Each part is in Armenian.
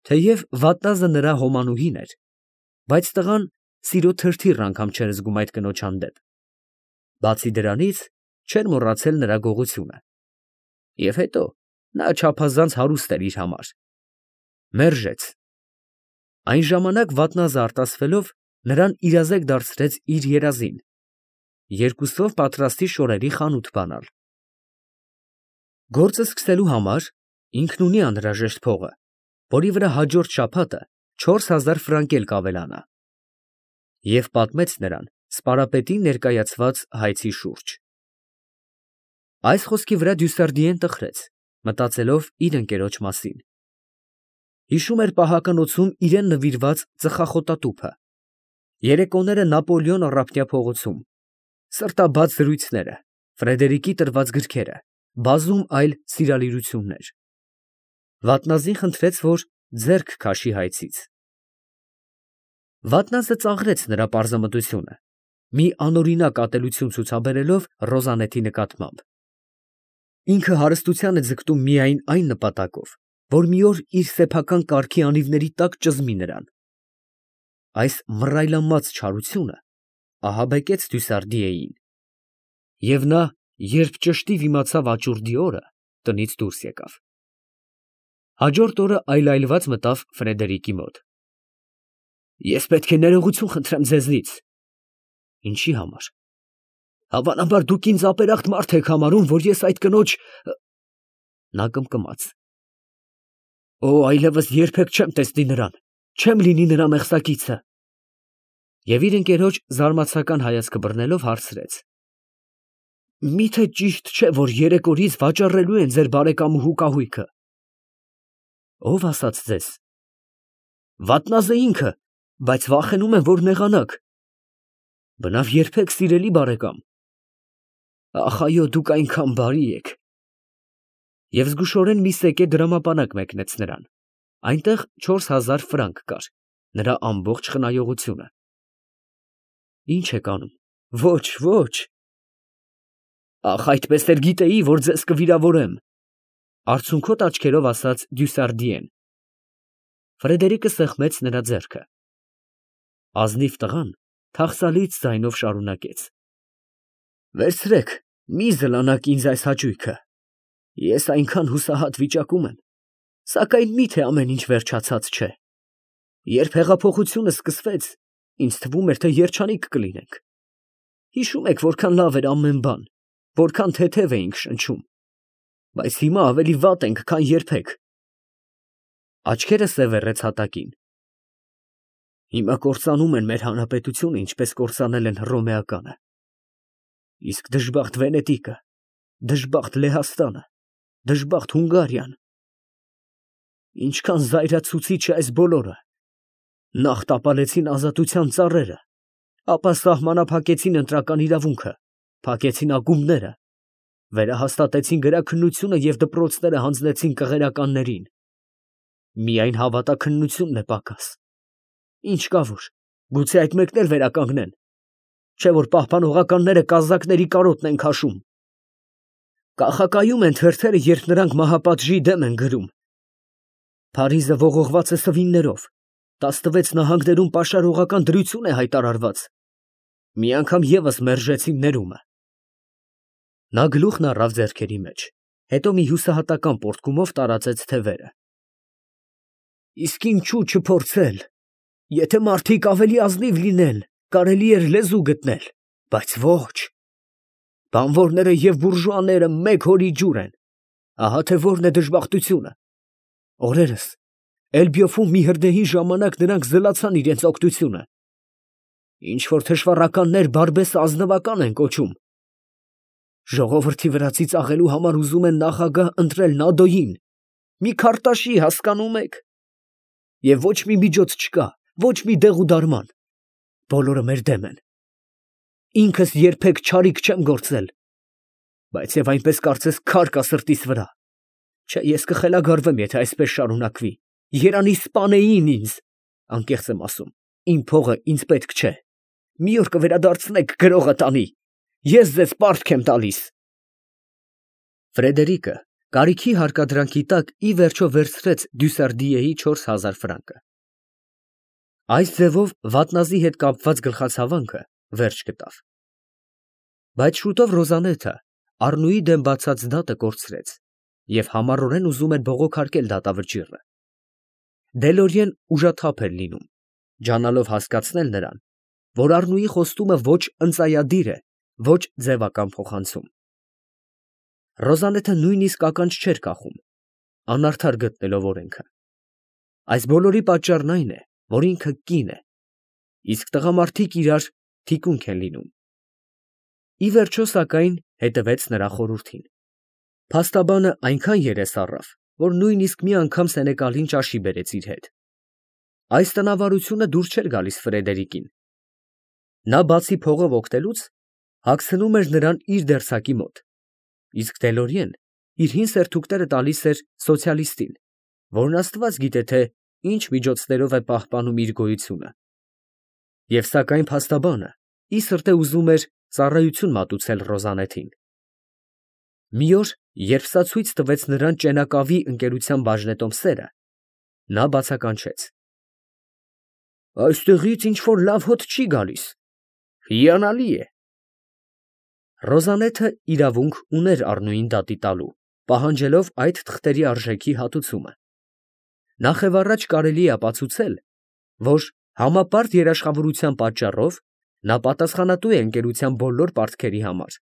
Թեև վատնազը նրա հոմանուհին էր, բայց տղան սիրո թրթիռ անգամ չէր զգում այդ կնոջ հանդեպ. բացի դրանից, չէր մոռացել նրա գողությունը։ Եվ հետո նա չափազանց հարուստ էր իր համար։ Մերժեց։ Այն ժամանակ վատնազը արտասվելով, նրան իրազեկ դարձրեց իր երազին, երկուսով պատրաստի շորերի խանութ բանալ։ Գործը սկսելու համար ինքն ունի անհրաժեշտ փողը, որի վրա հաջորդ շաբաթը 4000 ֆրանկ էլ կավելանա, և պատմեց նրան սպարապետի ներկայացված հայցի շուրջ։ Այս խոսքի վրա Դյուսարդիեն տխրեց, մտածելով իր ընկերոջ մասին։ Հիշում էր պահականոցում իրան նվիրված ծխախոտատուփը, երեկոները Նապոլեոն առափնյա փողոցում, սրտաբաց զրույցները, Ֆրեդերիկի տրված գրքերը, բազում այլ սիրալիրություններ։ Վատնազին խնդրեց, որ ձեռք քաշի հայցից։ Վատնազը ծաղրեց նրա պարզամտությունը, մի անօրինակ ատելություն ցուցաբերելով Ռոզանետի նկատմամբ։ Ինքը հարստության է ձգտում միայն այն նպատակով, որ մի օր իր սեփական կառքի անիվների տակ ճզմի նրան։ Այս մռայլամած չարությունը ահաբեկեց Դյուսարդիեին, և նա, երբ ճշտիվ իմացավ աճուրդի օրը, տնից դուրս եկավ։ Հաջորդ օրը այլայլված մտավ Ֆրեդերիկի մոտ։ Ես պետք է ներողություն խնդրեմ ձեզնից։ Ինչի համար։ Հավանաբար դուք ինձ ապերախտ մարդ եք համարում, որ ես այդ կնոջ… Նա կմկմաց։ Օ, այլևս երբեք չեմ տեսնի նրան, չեմ լինի նրա մեղսակիցը։ Եվ իր ընկերոջ զարմացական հայացքը բռնելով հարցրեց. Միթե ճիշտ չէ, որ 3 օրից վաճառելու են ձեր բարեկամուհու կահույքը։ Ո՞վ ասաց ձեզ։ Վատնազը ինքը, բայց վախենում եմ, որ նեղանաք։ Բնավ երբեք, սիրելի բարեկամ։ Ախ, այո, դուք այնքան բարի եք։ Եվ զգուշորեն մի սեկե դրամապանակ մեկնեց նրան։ Այնտեղ 4000 ֆրանկ կար, նրա ամբողջ խնայողությունը։ Ինչ եք անում։ Ոչ, ոչ։ Ախ, այդպես էլ գիտեի, որ ձեզ կվիրավորեմ, արցունքոտ աչքերով ասաց Դյուսարդիեն։ Ֆրեդերիկը սեղմեց նրա ձեռքը։ Ազնիվ տղան թախծալից ձայնով շարունակեց. Վերցրեք, մի զլանաք ինձ այս հաճույքը։ Ես այնքան հուսահատ վիճակում եմ, սակայն միթե ամեն ինչ վերջացած չէ։ Երբ հեղափոխությունը սկսվեց, ինձ թվում էր, թե երջանիկ կլինենք։ Հիշում եք, որքան լավ էր ամեն բան, որքան թեթև էինք շնչում, բայց հիմա ավելի վատ ենք, քան երբեք։ Աչքերը սևեռեց հատակին։ Հիմա կործանում են մեր հանրապետությունը, ինչպես կործանել են հռոմեականը։ Իսկ դժբախտ Վենետիկը, դժբախտ Լեհաստանը, դժբախտ Հունգարիան։ Ինչքան զայրացուցիչ է այս բոլորը։ Նախ տապալեցին ազատության ծառերը, ապա սահմանափակեցին ընտրական իրավունքը, փակեցին ակումբները, վերահաստատեցին գրաքննությունը և դպրոցները հանձնեցին կղերականներին։ Միայն հավատաքննությունն է պակաս։ Ինչ կա որ, գուցե այդ մեկն էլ վերականգնեն, չէ որ պահպանողականները կազակների կարոտն են քաշում։ Կախակայում են թերթերը, երբ նրանք մահապատժի դեմ են գրում։ Փարիզը ողողված է սվիններով, 16 նահանգներում պաշարողական դրություն է հայտարարված։ Մի անգամ ևս մերժեցին ներումը։ Նա գլուխն առավ ձեռքերի մեջ, հետո մի հուսահատական պոռթկումով տարածեց թևերը։ Իսկ ինչու չփորձել։ Եթե մարդիկ ավելի ազնիվ լինեն, կարելի էր լեզու գտնել, բայց ոչ։ Բանվորները և բուրժուաները մեկ հորի ջուր են։ Ահա թե որն է դժբախտությունը։ Օրերս Էլբյոֆում մի հրդեհի ժամանակ նրանք զլացան իրենց օգնությունը։ Ինչ որ թշվառականներ բարբեսը ազնվական են կոչում։ Ժողովրդի վրացի ծաղելու համար ուզում են նախագահ ընտրել Նադոյին, մի քարտաշի, հասկանում եք։ Եվ ոչ մի միջոց չկա, ոչ մի դեղ ու դարման։ Բոլորը մեր դեմ են։ Ինքս երբեք չարիք չեմ գործել, բայց եւ այնպես կարծես քար կա սրտիս վրա։ Չէ, ես կխելագարվեմ, եթե այսպես շարունակվի։ Երանի սպանեին ինձ, անկեղծ եմ ասում, իմ փողը ինձ պետք չէ։ Մի օր կվերադարձնեք, գրողը տանի։ Ես ձեզ պարտք եմ տալիս։ Ֆրեդերիկը Կարիքի հարկադրանքի տակ ի վերջո վերցրեց Դյուսարդիեի 4000 ֆրանկը։ Այս ձևով վատնազի հետ կապված գլխացավանքը վերջ գտավ։ Բայց շուտով Ռոզանեթը Առնուի դեմ բացած դատը կորցրեց և համառորեն ուզում էր բողոքարկել դատավճիռը։ Դելորիեն ուժաթափ էր լինում, ջանալով հասկացնել նրան, որ Առնուի խոստումը ոչ ընծայադիր է, ոչ ձևական փոխանցում։ Ռոզանեթը նույնիսկ ականջ չէր կախում, անարդար գտնելով օրենքը։ Այս բոլորի պատճառն այն է, որ ինքը կին է, իսկ տղամարդիկ իրար թիկունք են լինում։ Ի վերջո, սակայն, հետևեց նրա խորհրդին։ Փաստաբանը այնքան երես առավ, որ նույնիսկ մի անգամ Սենեկալին ճաշի բերեց իր հետ։ Այս տնավարությունը դուր չէր գալիս Ֆրեդերիկին։ Նա բացի փողով օգտելուց, հագցնում էր նրան իր դերձակի մոտ, իսկ Դելորիեն իր հին սերթուկները տալիս էր սոցիալիստին, որն Աստված գիտե թե ինչ միջոցներով է պահպանում իր գոյությունը։ Եվ սակայն փաստաբանը ի սրտե ուզում էր ծառայություն մատուցել Ռոզանեթին։ Մի օր, երբ սա ցույց տվեց նրան ճենակավի ընկերության բաժնետոմսերը, նա բացականչեց. «Այստեղից ինչ֊որ լավ հոտ չի գալիս, հիանալի է»։ Ռոզանեթը իրավունք ուներ Առնուին դատի տալու, պահանջելով այդ թղթերի արժեքի հատուցումը։ Նախևառաջ կարելի է ապացուցել, որ համապարտ երաշխավորության պատճառով նա պատասխանատու է ընկերության բոլոր պարտքերի համար։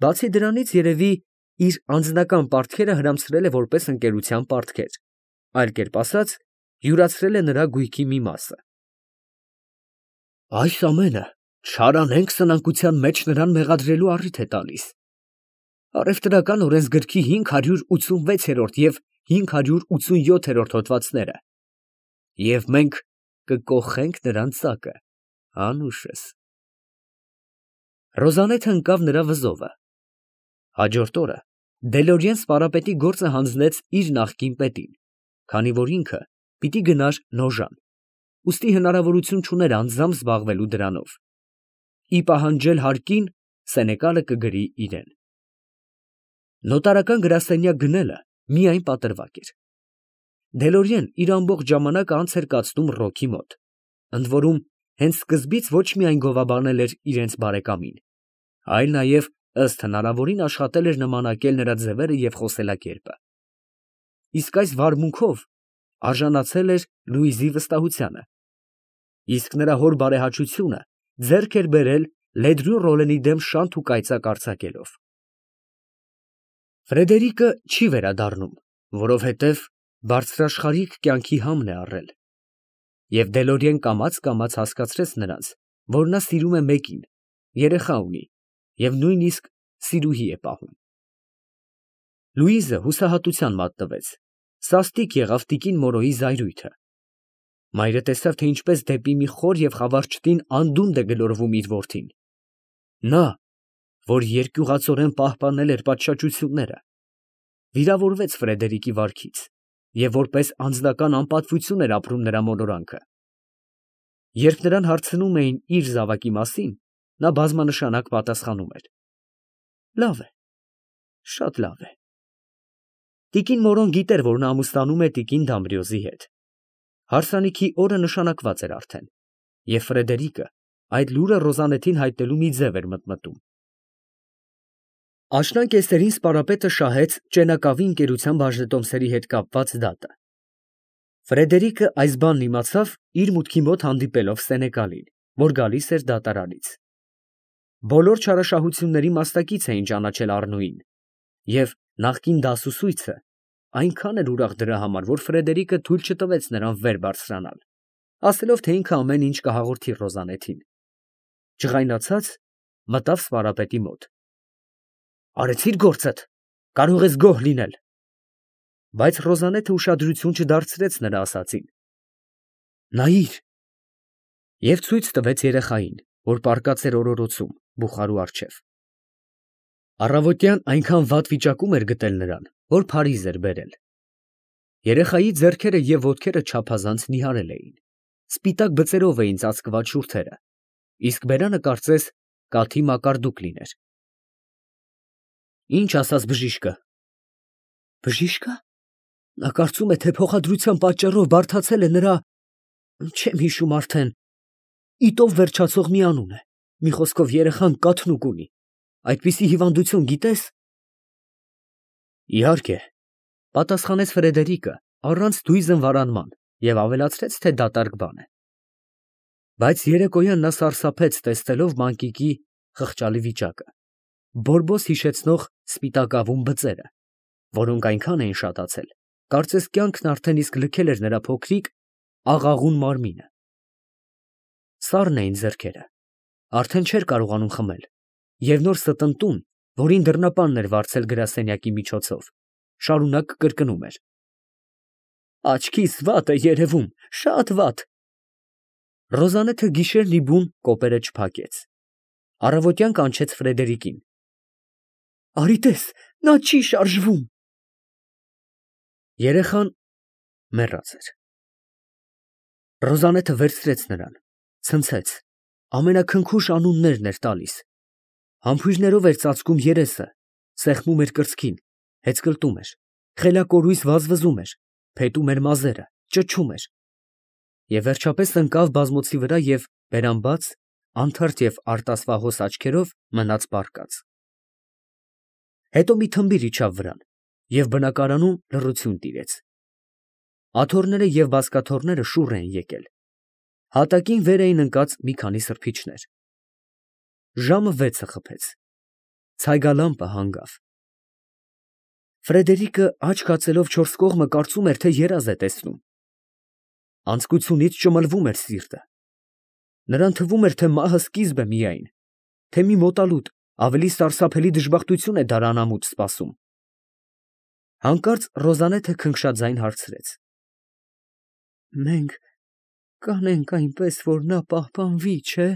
Բացի դրանից, երևի, իր անձնական պարտքերը հրամցրել է որպես ընկերության պարտքեր, այլ կերպ ասած, յուրացրել է նրա գույքի մի մասը։ Այս ամենը չարանենգ սնանկության մեջ նրան մեղադրելու առիթ է տալիս։ Առևտրական օրենսգրքի 586-րդ և 587-րդ հոդվածները, և մենք կկոխենք նրան ծակը, անուշս։ Ռոզանեթը ընկավ նրա վզովը։ Հաջորդ օրը Դելորիեն սպարապետի գործը հանձնեց իր նախկին պետին, քանի որ ինքը պիտի գնար Նոժան, ուստի հնարավորություն չուներ անձամբ զբաղվելու դրանով։ Ի պահանջել հարկին Սենեկալը կգրի իրեն։ Նոտարական գրասենյակ գնելը միայն պատրվակ էր։ Դելորիեն իր ամբողջ ժամանակը անց էր կացնում Ռոքի մոտ, ընդ որում հենց սկզբից ոչ միայն գովաբանել էր իրենց բարեկամին, այլ նաև ըստ հնարավորին աշխատել էր նմանակել նրա ձևերը և խոսելակերպը։ Իսկ այս վարմունքով արժանացել էր Լուիզի վստահությանը, իսկ նրա հոր բարեհաճությունը ձեռք էր բերել Լեդրյուն Ռոլենի դեմ շանթ ու կայծակ արձակելով։ Ֆրեդերիկը չի վերադառնում, որովհետև բարձրաշխարհիկ կյանքի համն է առել, և Դելորիեն կամաց հասկացրեց նրանց, որ նա սիրում է մեկին, երեխա ունի և նույնիսկ սիրուհի է պահում։ Լուիզը հուսահատության մատնվեց, սաստիկ եղավ տիկին Մորոյի զայրույթը։ Մայրը տեսավ, թե ինչպես դեպի մի խոր և խավար չտին անդունդը գլորվում իր որդին։ Նա, որ երկյուղածորեն պահպանել էր պատշաճությունները, վիրավորվեց Ֆրեդերիկի վարքից և որպես անձնական անպատվություն էր ապրում նրա մոլորանքը։ Երբ նրան հարցնում էին իր զավակի մասին, նա բազմանշանակ պատասխանում էր. «Լավ է, շատ լավ է»։ Տիկին Մորոն գիտեր, որ նա ամուսնանում է տիկին Դամբրիոզի հետ։ Հարսանիքի օրը նշանակված էր արդեն, և Ֆրեդերիկը այդ լուրը Ռոզանեթին հայտնելու մի ձև էր մտմտում։ Աշնան կեսերին սպարապետը շահեց ճենակավի ընկերության բաժնետոմսերի հետ կապված դատը։ Ֆրեդերիկը այս բանն իմացավ իր մուտքի մոտ հանդիպելով Սենեկալին, որ գալիս էր դատարանից։ Բոլոր չարաշահությունների մասնակից էին ճանաչել Առնուին, և նախկին դասուսույցը այնքան էր ուրախ դրա համար, որ Ֆրեդերիկը թույլ չտվեց նրան վեր բարձրանալ, ասելով, թե ինքը ամեն ինչ կհաղորդի Ռոզանեթին։ Ջղայնացած մտավ սպարապետի մոտ։ «Արեցի՞ր գործդ, կարող ես գոհ լինել»։ Բայց Ռոզանեթը ուշադրություն չդարձրեց նրա ասածին։ «Նայիր» և ցույց տվեց երեխային, որ պառկած էր օրորոցում բուխարու առջև։ Առավոտյան այնքան վատ վիճակում էր գտել նրան, որ փարիզ էր բերել։ Երեխայի ձեռքերը և ոտքերը չափազանց նիհարել էին, սպիտակ բծերով էին ծածկված շուրթերը, իսկ բերանը կարծես կաթի մակարդուկ լիներ։ «Ի՞նչ ասաց բժիշկը»։ Բժիշկա։ Նա կարծում է, թե փոխադրության պատճառով բարդացել է նրա, չեմ հիշում արդեն, իտով վերջացող մի անուն է։ Մի խոսքով երեխան կաթնուկ ունի։ Այդպիսի հիվանդություն գիտես։ Իհարկե, պատասխանեց Ֆրեդերիկը առանց դույզն վարանման և ավելացրեց, թե դատարկ բան է։ Բայց երեկոյան նա սարսափեց տեսնելով մանկիկի խղճալի վիճակը, բորբոս հիշեցնող սպիտակավուն բծերը, որոնք այնքան էին շատացել, կարծես կյանքն արդեն իսկ լքել էր նրա փոքրիկ աղաղուն մարմինը։ Սառն էին ձեռքերը, արդեն չէր կարողանում խմել, և նոր ստընտուն, որին դռնապանն էր վարձել գրասենյակի միջոցով, շարունակ կրկնում էր. Աչքիս վատ է երևում, շատ վատ։ Ռոզալեթը գիշերն ի բուն կոպերը չփակեց։ Առավոտյան կանչեց Ֆրեդերիկին։ Արի տես, նա չի շարժվում։ Երեխան մեռած էր։ Ռոզալեթը վերցրեց նրան, ցնցեց, ամենաքնքուշ անուններն էր տալիս։ Համբույրներով էր ծածկում երեսը, սեղմում էր կրծքին, հեծկլտում էր, խելակորույս վազվզում էր, փետում էր մազերը, ճչում էր։ Եվ վերջապես ընկավ բազմոցի վրա և բերանբաց, անթարթ և արտասվահոս աչքերով մնաց պառկած։ Հետո մի թմբիր իջավ վրան, և բնակարանում լռություն տիրեց։ Աթոռները և բազկաթոռները շուռ էին եկել։ Հատակին վեր էին ընկած մի քանի սրբիչներ։ Ժամը 6-ը խփեց։ Ցայգալամպը հանգավ։ Ֆրեդերիկը աչք հացելով չորս կողմը կարծում էր, թե երազ է տեսնում։ Անձկությունից ճմլվում էր սիրտը։ Նրան թվում էր, թե մահը սկիզբ է միայն, թե մի մոտալուտ, ավելի սարսափելի դժբախտություն է դար անամուտ սպասում։ Հանկարծ Ռոզալեթը քնքշաձայն հարցրեց. Մենք կանենք այնպես, որ նա պահպանվի, չէ՞։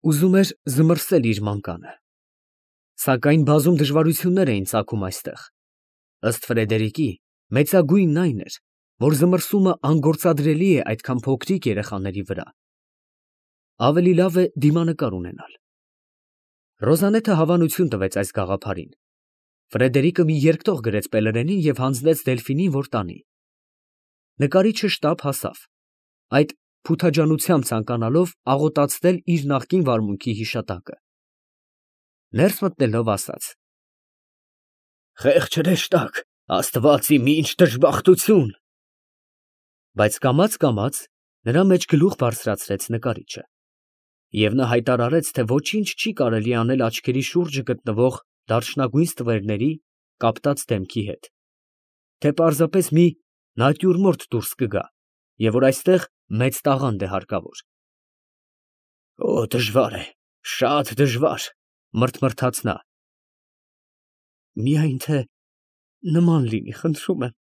Ուզում էր զմռսել իր մանկանը, սակայն բազում դժվարություններ էին ծագում այստեղ։ Ըստ Ֆրեդերիկի, մեծագույնն այն էր, որ զմռսումը անգործադրելի է այդքան փոքրիկ երեխաների վրա։ Ավելի լավ է դիմանկար ունենալ։ Ռոզալեթը հավանություն տվեց այս գաղափարին։ Ֆրեդերիկը մի երկտող գրեց Պելերենին և հանձնեց Դելֆինին, որ տանի։ Նկարիչը շտապ հասավ, այդ փութաջանությամբ ցանկանալով աղոտացնել իր նախկին վարմունքի հիշատակը։ Ներս մտնելով ասաց. Խեղճ հրեշտակ, Աստված իմ, ինչ դժբախտություն։ Բայց կամաց նրա մեջ գլուխ բարձրացրեց նկարիչը, և նա հայտարարեց, թե ոչինչ չի կարելի անել աչքերի շուրջը գտնվող դարչնագույն ստվերների կապտած դեմքի հետ, թե պարզապես մի նատյուրմորտ դուրս կգա, և որ այստեղ մեծ տաղանդ է հարկավոր։ Օ, դժվար է, շատ դժվար, մռթմռթաց նա։ Միայն թե նման լինի, խնդրում եմ,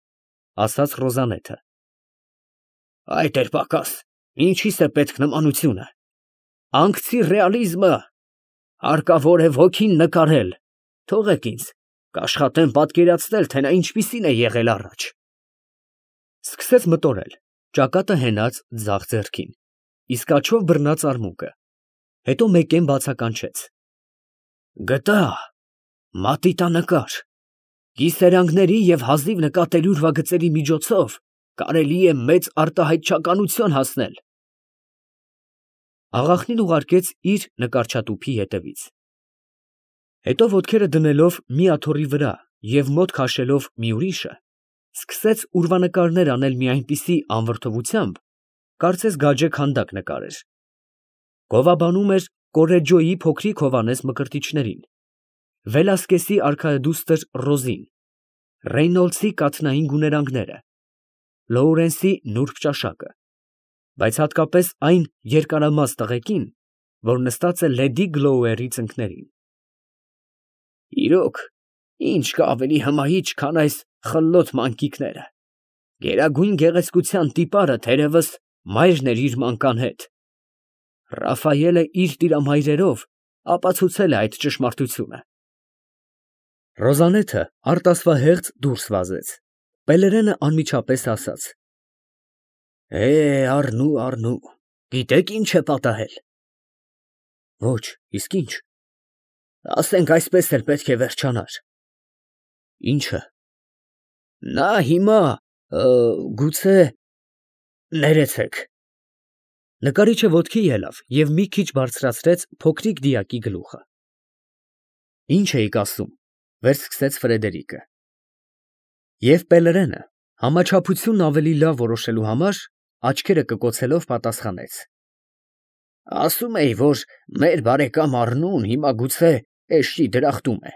ասաց Ռոզալեթը։ Այդ էր պակաս, ինչի՞ս է պետք նմանությունը։ Անկցի ռեալիզմը, հարկավոր է ոգին նկարել, թողեք ինձ, կաշխատեմ պատկերացնել, թե նա ինչպիսին է եղել առաջ։ Սկսեց մտորել, ճակատը հենած ձախ ձեռքին, իսկ աջով բռնած արմունկը, հետո մեկեն բացականչեց։ Գտա, մատիտանկար, կիսերանգների և հազիվ նկատելի ուրվագծերի միջոցով կարելի է մեծ արտահայտչականություն հասնել։ Աղախնին ուղարկեց իր նկարչատուփի ետևից։ Հետո ոտքերը դնելով մի աթոռի վրա և մոտ քաշելով մի ուրիշը, սկսեց ուրվանկարներ անել մի այնպիսի անվրդովությամբ, կարծես գաջե քանդակ նկարեր։ Գովաբանում էր Կորեջոյի փոքրիկ հովանես մկրտիչներին, Վելասկեսի արքայադուստր Ռոզին, Ռեյնոլդսի կաթնային գուներանգները, Լոուրենսի նուրբ ճաշակը, բայց հատկապես այն երկարամաս տղեկին, որ նստած է լեդի Գլոուերի ծնկներին։ Իրոք, ինչ կա ավելի հմայիչ, քան այս խլոտ մանկիկները։ Գերագույն գեղեցկության տիպարը թերևս մայրն էր իր մանկան հետ։ Ռաֆայելը իր տիրամայրերով ապացուցել է այդ ճշմարտությունը։ Ռոզալեթը արտասվահեղձ դուրս վազեց։ Պելերենը անմիջապես ասաց. Առնու, գիտեք ինչ է պատահել։ Ոչ, իսկ ինչ։ Ասենք այսպես էլ պետք է վերջանար։ Ի՞նչը։ Նա հիմա, գուցե, ներեցեք։ Նկարիչը ոտքի ելավ և մի քիչ բարձրացրեց փոքրիկ դիակի գլուխը։ Ինչ էիք ասում, վերսկսեց Ֆրեդերիկը։ Եվ Պելերենը, համաչափությունն ավելի լավ որոշելու համար, աչքերը կկոցելով պատասխանեց. Ասում էի, որ մեր բարեկամ Առնուն հիմա գուցե էշի դրախտում է։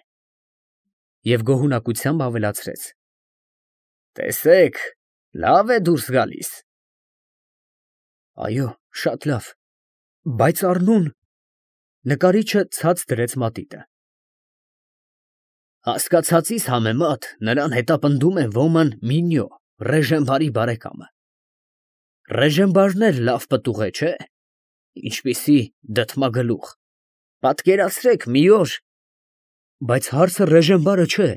Եվ գոհունակությամբ ավելացրեց. Տեսեք, լավ է դուրս գալիս։ Այո, շատ լավ, բայց Առնուն… Նկարիչը ցած դրեց մատիտը։ Հասկացածիս համեմատ նրան հետապնդում է ոման Մինյո, Ռեժենբարի բարեկամը։ Ռեժենբարն էլ լավ պտուղ է, չէ՞։ Ինչպիսի դդմագլուխ։ Պատկերացրեք մի օր… Բայց հարցը Ռեժենբարը չէ։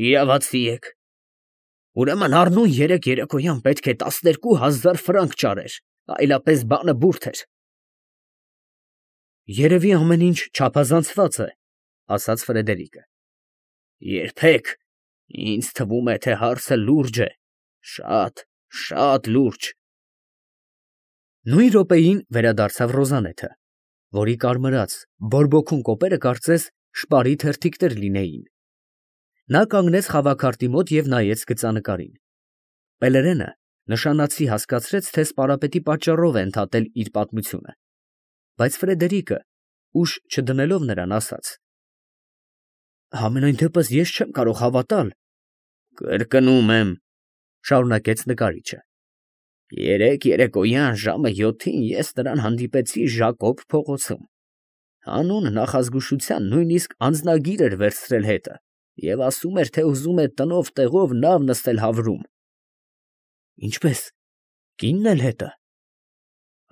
Իրավացի եք։ Ուրեմն Առնուն երեկ երեկոյան պետք է 12,000 ֆրանկ ճարեր, այլապես բանը բուրդ էր։ Երևի ամեն ինչ չափազանցված է, ասաց Ֆրեդերիկը։ Երբեք, ինձ թվում է, թե հարցը լուրջ է, շատ լուրջ։ Նույն րոպեին վերադարձավ Ռոզանեթը, որի կարմրած, բորբոքուն կոպերը կարծես շպարի թերթիկներ լինեին։ Նա կանգնեց խավաքարտի մոտ և նայեց գծանկարին։ Պելերենը նշանացի հասկացրեց, թե սպարապետի պատճառով է ընդհատել իր պատմությունը, բայց Ֆրեդերիկը, ուշ չդնելով նրան, ասաց. Համենայն դեպս ես չեմ կարող հավատալ։ Կրկնում եմ, շարունակեց նկարիչը. երեկ երեկոյան ժամը 7-ին ես նրան հանդիպեցի Ժակոբ փողոցում։ Հանուն նախազգուշության նույնիսկ անձնագիր էր վերցրել հետը և ասում էր, թե ուզում է տնով տեղով նավ նստել Հավրում։ Ինչպե՞ս, կինն էլ հետը։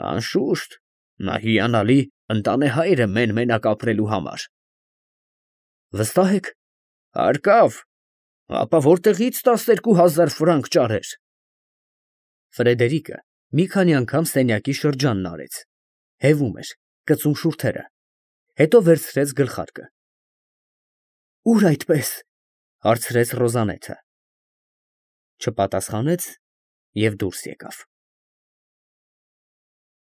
Անշուշտ, նա հիանալի ընտանեհայր է մեն֊մենակ ապրելու համար։ Վստահ եք։ Հարկավ, ապա որտեղի՞ց 12,000 ֆրանկ ճարեր։ Ֆրեդերիկը մի քանի անգամ սենյակի շրջանն արեց, հևում էր, կծում շուրթերը, հետո վերցրեց գլխարկը։ Ո՞ւր այդպես, հարցրեց Ռոզանեթը։ Չպատասխանեց և դուրս եկավ։